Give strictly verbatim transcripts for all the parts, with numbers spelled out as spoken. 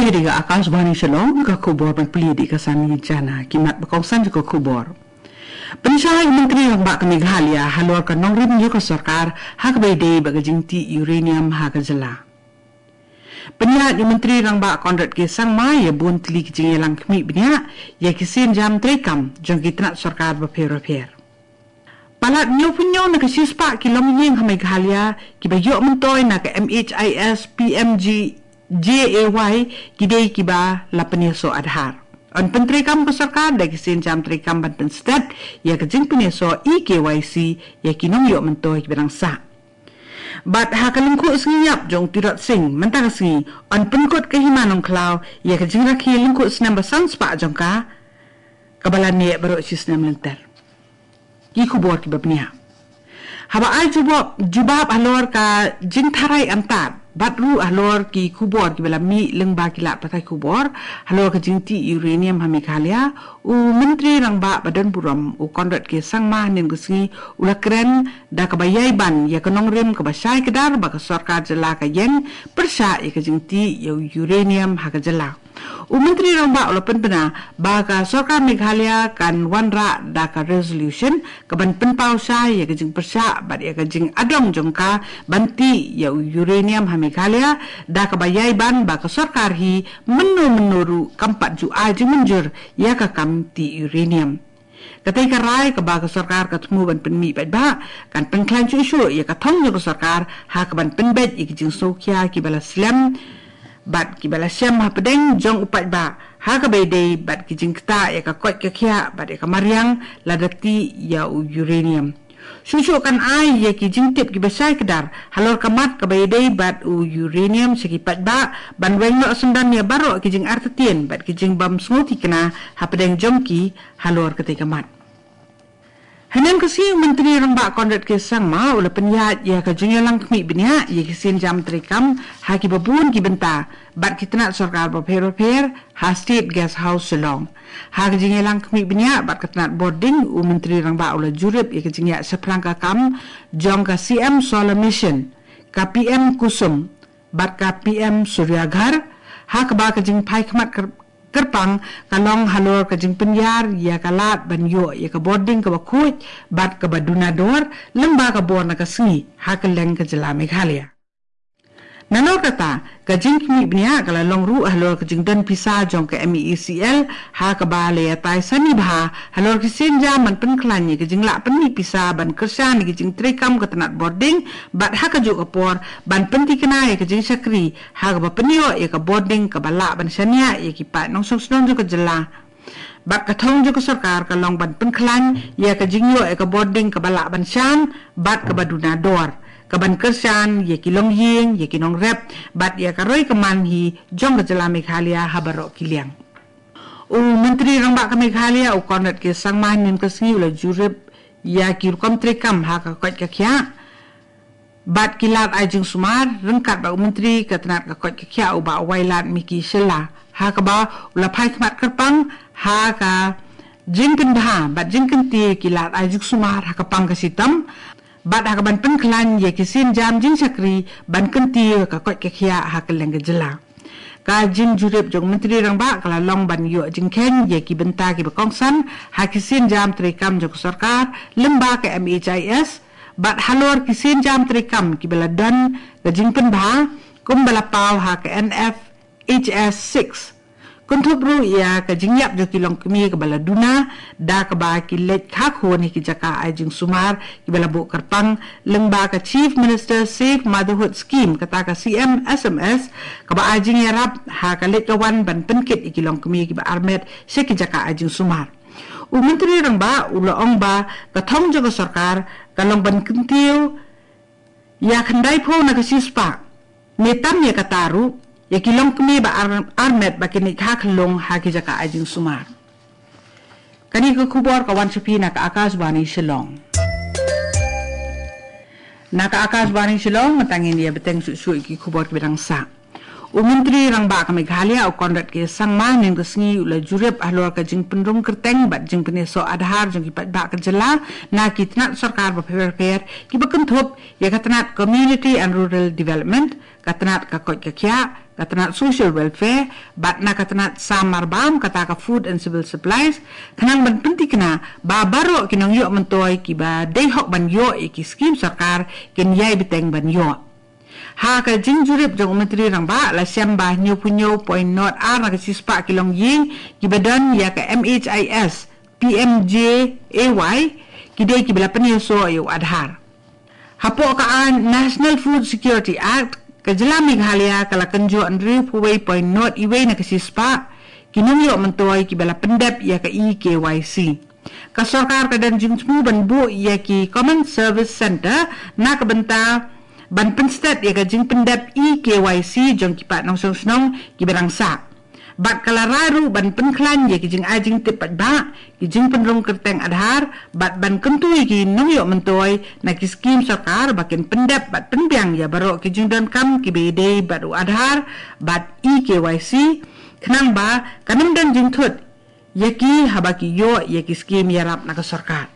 Ïa dei ka Akashvani Shillong, ka khubor ban pule da ka Sani Jana, ki mat ba kongsan jong ka khubor. Pynshai u Myntri Rangbah ka Meghalaya halor ka nongrim jong ka sorkar ha kaba ïadei bad ka jingtih uranium ha ka jylla. Pynïaid u Myntri Rangbah Conrad K Sangma ïa bun tylli ki jingïalang khmih bniah ïa ki sienjam treikam jong ki tnat sorkar bapher bapher. Palat hynñiewphew hynñiew na ka shispah ki longïing ha Meghalaya kiba ïoh myntoi na ka M H I S P M G J A Y ki dei kiba la pynïasoh Aadhaar. Yn pyntreikam ka sorkar da ki sienjam treikam ban pynstet ïa ka jingpynïasoh e K Y C ïa ki nongïoh myntoi kiba dang sah. Bad ha ka lyngkhuh sngi ïap jong u Tirot Sing mynta ka sngi, yn pynkut ka Hima Nongkhlaw ïa ka jingrakhe lyngkhuh snem ba san spah jong ka, kaba la neh baroh shisnem lynter. Ki khubor kiba bniah. Haba ai jubab, jubab halor ka jingtharai antad bad ruh halor ki khubor kiba la mih lyngba ki lad pathai khubor halor ka jingtih uranium ha Meghalaya, u Myntri Rangbah ba don burom u Conrad K Sangma hynnin ka sngi u la kren da kaba ïai ban ïa ka nongrim kaba shai kdar ba ka sorkar jylla ka ïeng pyrshah ïa ka jingtih ïa u uranium ha ka jylla. U Myntri Rangbah u la pynbna ba ka sorkar Meghalaya kan wanrah da ka resolution kaban pynpaw shai ïa ka jingpyrshah bad ïa ka jingadong jong ka ban tih ïa u uranium ha Meghalaya, da kaba ïai ban ba ka sorkar hi mynno mynno ruh kam pat ju ai jingmynjur ïa ka kam tih uranium. Katei ka rai kaba ka sorkar ka thmu ban pynmih paidbah kan pynkhlaiñ shuh shuh ïa ka thong jong ka sorkar ha kaban pynbeit ïa ki jingsngewkhia kiba la slem bad kiba la shem hapdeng jong u paidbah ha kaba ïadei bad ki jingktah ïa ka koit ka khiah bad ïa ka mariang lada tih ïa u uranium. Shuh shuh kan ai ïa ki jingtip kiba shai kdar halor ka mat kaba ïadei bad u uranium sha ki paidbah ban weng noh syndon ïa baroh ki jingartatien bad ki jingbym sngewthikna hapdeng jong ki halor katei ka mat. Hynnin ka sngi u Myntri Rangbah Conrad K Sangma u la pynïaid ïa ka jingïalang khmih bniah ïa ki sienjam treikam ha kiba bun ki bynta bad ki tnat sorkar bapher bapher ha State Guest House Shillong. Ha ka jingïalang khmih bniah bad ka tnat bording, u Myntri Rangbah u la jurip ïa ka jingïaid shaphrang ka kam jong ka C M Solar Mission, ka P M Kusum bad ka P M Surya Ghar, ha kaba ka jingphai khmat kyrpang ka long halor ka jingpynïar ïa ka lad ban ïoh ïa ka bording kaba khuid bad kaba duna dor lyngba ka bor na ka sngi ha kylleng ka jylla Meghalaya. Nalor kata, ka jingkhmih bniah ka la long ruh halor ka jingdon pisa jong ka M E E C L, ha kaba la ïatai sani bha halor ki sienjam ban pynkhlaiñ ïa ka jinglah pynmih pisa ban kyrshan ïa ka jingtreikam ka tnat bording, bad ha kajuh ka por ban pynthikna ïa ka jingshakri ha kaba pynïoh ïa ka bording kaba lah ban shaniah ïa ki paid nongshong shnong jong ka jylla. Bad ka thong jong ka sorkar ka long ban pynkhlaiñ ïa ka jingïoh ïa ka bording kaba lah ban shan bad kaba duna dor, kaban kyrshan ïa ki longïing, ïa ki nongrep bad ïa ka roi ka man hi jong ka jylla Meghalaya ha baroh ki liang. U Myntri Rangbah ka Meghalaya u Conrad K Sangma hynnin ka sngi u la jurip ïa ki rukom treikam ha ka koit ka khiah bad ki lad ai jingsumar ryngkat bad u Myntri ka tnat ka koit ka khiah u Bah Wailadmiki Shylla, ha kaba u la phai khmat kyrpang ha ka jingpynbha bad jingkyntiew ki lad ai jingsumar ha ka pang ka shitom bad ha kaban pynkhlaiñ ïa ki sienjam jingshakri ban kyntiew ka koit ka khiah ha kylleng ka jylla. Ka jingjurip jong u Myntri Rangbah ka la long ban ïoh jingkheiñ ïa ki bynta kiba kongsan ha ki sienjam treikam jong ka sorkar lyngba ka M H I S bad halor ki sienjam treikam kiba la don ka jingpynbha kumba la paw ha ka N F H S six. Kynthup ruh ïa ka jingïap jong ki longkmie kaba la duna da kaba ki leit kha khun ha ki jaka ai jingsumar kiba la buh kyrpang lyngba ka Chief Minister Safe Motherhood Scheme, kata ka C M S M S, kaba ai jingïarap ha ka leit ka wan ban pynkit ïa ki longkmie kiba armet sha ki jaka ai jingsumar. U Myntri Rangbah u la ong ba ka thong jong ka sorkar ka long ban kyntiew ïa khyndaiphew na ka shispah, ne tam ïa kata ruh, ïa ki longkmie ba ar-, armet ba kin leit kha khyllung ha ki jaka ai jingsumar. Kane ka khubor ka wan sha phi na ka Akashvani Shillong. Na ka Akashvani Shillong, mynta ngin ïa bteng shuh shuh ïa ki khubor kiba dang sah. U Myntri Rangbah ka Meghalaya, u Conrad K Sangma, mynne ka sngi u la jurip halor ka jingpynrung kyrteng bad jingpynïasoh Aadhaar jong ki paidbah ka jylla na ki tnat sorkar bapher bapher, kiba kynthup ïa ka tnat Community and Rural Development, ka tnat ka koit ka khiah, ka tnat Social Welfare, bad na ka tnat sam marbam, kata ka Food and Civil Supplies, khnang ban pyntikna ba baroh ki nongïoh myntoi kiba dei hok ban ïoh ïa ki skim sorkar kin ïai bteng ban ïoh. Ha ka jingjurip jong u Myntri Rangbah, la shem ba hynñiewphew hynñiew point nod ar na ka shispah ki longïing kiba don ïa ka M H I S, P M J A Y, ki dei kiba la pynïasoh ïa u Aadhaar. Hapoh ka aiñ National Food Security Act, ka jylla Meghalaya ka la kynjoh hynriewphew wei point nod wei na ka shispah ki nongïoh myntoi kiba la pyndep ïa ka E K Y C. Ka sorkar ka don jingthmu ban buh ïa ki Common Service Centre na ka bynta ban pynstet ïa ka jingpyndep E K Y C jong ki paid nongshong shnong kiba dang sah. Bad ka la rai ruh ban pynkhlaiñ ïa ki jingai jingtip paidbah, ki jingpynrung kyrteng Aadhaar, bad ban kyntu ïa ki nongïoh myntoi na ki skim sorkar ba kin pyndep bad pynbiang ïa baroh ki jingdonkam kiba ïadei bad u Aadhaar bad E K Y C, khnang ba kan ym don jingthut ïa ki haba ki ïoh ïa ki skim ïarap na ka sorkar.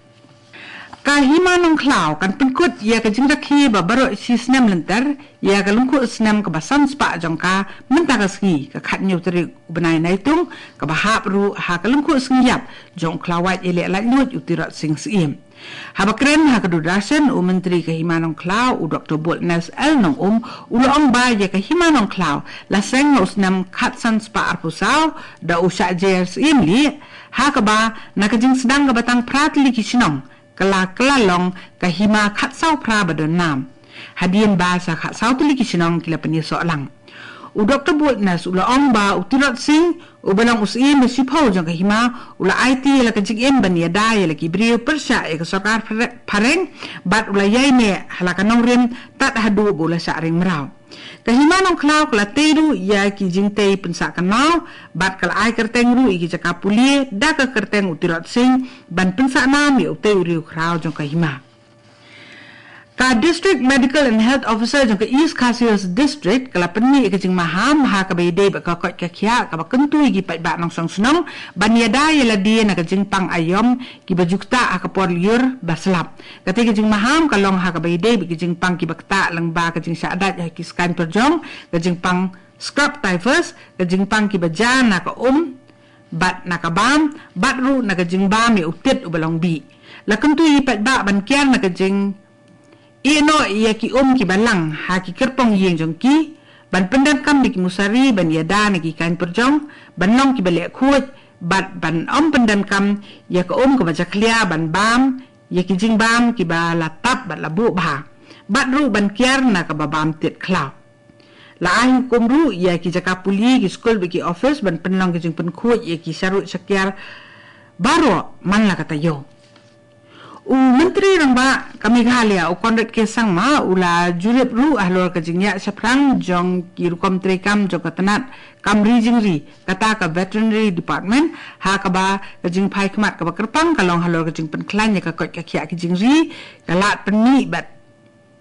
Ka Hima Nongkhlaw kan pynkut ïa ka jingrakhe ba baroh shi snem lynter ïa ka lyngkhuh snem kaba san spah jong ka mynta ka sngi, ka khathynñiew tarik u bnai Naitung, kaba hap ruh ha ka lyngkhuh sngi ïap jong u khlawait ïaleh laitluid u Tirot Sing Syiem. Haba kren ha ka Doordarshan, u Myntri ka Hima Nongkhlaw, u Doktor Boldness L Nongum, u la ong ba ïa ka Hima Nongkhlaw la seng ha u snem khatsan spah arphew saw da u Shah J R Syiemlieh, ha kaba na ka jingsdang kaba tang phra tylli ki shnong ka la kylla long ka hima khatsaw phra ba don nam, hadien ba sa khatsaw tylli ki shnong ki la pynïasoh lang. U Doktor Boldness u la ong ba u Tirot Sing, uba long u Syiem ba shiphew jong ka hima, u la aiti ïa la ka jingim ban ïada ïa la ki briew pyrshah ïa ka sorkar phre-, phareng, bad u la ïaineh ha la ka nongrim tad haduh ba u la shah ring mraw. Ka Hima Nongkhlaw ka la tei ruh ïa ki jingtei pynsah kynmaw, bad ka la ai kyrteng ruh ïa ki jaka pule da ka kyrteng u Tirot Sing, ban pynsah nam ïa utei u riewkhraw jong ka hima. Ka District Medical and Health Officer jong ka East Khasi Hills District ka la pynmih ïa ka jingmaham ha kaba ïadei bad ka koit ka khiah kaba kyntu ïa ki paidbah nongshong shnong ban ïada ïa lade na ka jingpang aïom kiba ju ktah ha ka por lyiur ba slap. Katei ka jingmaham ka long ha kaba ïadei bad ka jingpang kiba ktah lyngba ka jingshah dait ha ki skaiñ pyrjong, ka jingpang scrub typhus, ka jingpang kiba jia na ka um bad na ka bam, bad ruh na ka jingbam ïa u tit uba long bih. La kyntu ïa ki paidbah ban kiar na ka jingïehnoh ïa ki um kiba lang ha ki kyrpong ïing jong ki, ban pyndonkam ïa ki musari ban ïada na ki kaiñ pyrjong, ban long kiba leh khuid, bad ban ym pyndonkam ïa ka um kaba jakhlia ban bam ïa ki jingbam kiba la tap bad la buh bha, bad ruh ban kiar na kaba bam tit khlaw. La ai hukum ruh ïa ki jaka pule, ki skul bad ki office ban pynlong ki jingpynkhuid ïa ki sharuh shakiar baroh man la ka taïew. U Myntri Rangbah ka Meghalaya, u Conrad K Sangma, u la jurip ruh halor ka jingïaid shaphrang jong ki rukom treikam jong ka tnat kam ri jingri, kata ka Veterinary Department, ha kaba ka jingphai khmat kaba kyrpang ka long halor ka jingpynkhlaiñ ïa ka koit ka khiah ki jingri, ka lad pynmih bad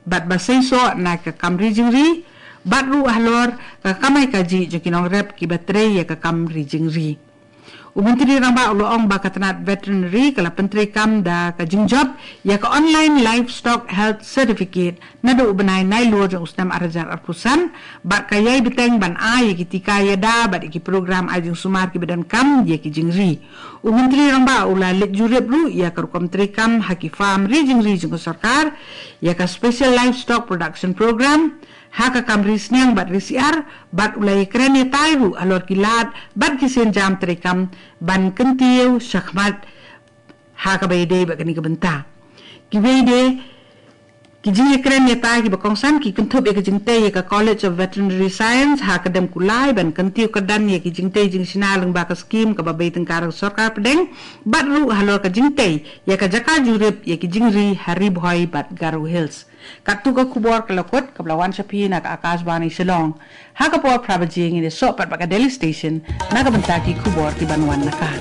bad ba seisoh na ka kam ri jingri, bad ruh halor ka kamai kajih jong ki nongrep kiba trei ïa ka kam ri jingri. U Myntri Rangbah u la ong ba ka tnat Veterinary ka la pyntreikam da ka jingjop ïa ka Online Livestock Health Certificate naduh u bnai Nailur jong u snem ar hajar arphew san, bad ka ïai bteng ban ai ïa ki tika ïada bad ïa ki program ai jingsumar kiba donkam ïa ki jingri. U Myntri Rangbah u la leit jurip ruh ïa ka rukom treikam ha ki farm ri jingri jong ka sorkar, ïa ka Special Livestock Production Program, ha ka kam ri sniang bad ri syiar, bad u la ïakren ïatai ruh halor ki lad bad ki sienjam treikam ban kyntiew shakhmat ha kaba ïadei bad kane ka bynta. Kiwei de ki jingïakren ïatai kiba kongsan ki kynthup ïa ka jingtei ïa ka College of Veterinary Science ha Kdem Kulai ban kyntiew kyrdan ïa ki jingtei jingshna lyngba ka skim kaba bei tyngka na ka sorkar pdeng, bad ruh halor ka jingtei ïa ka jaka jurip ïa ki jingri ha Ri Bhoi bad Garo Hills. Katto ka khubor ka la kut kaba la wan sha phi na ka Akashvani Shillong. Ha ka por phra baje ngin ïasoh pat bad ka Delhi Station na ka bynta ki khubor kiban wan na ka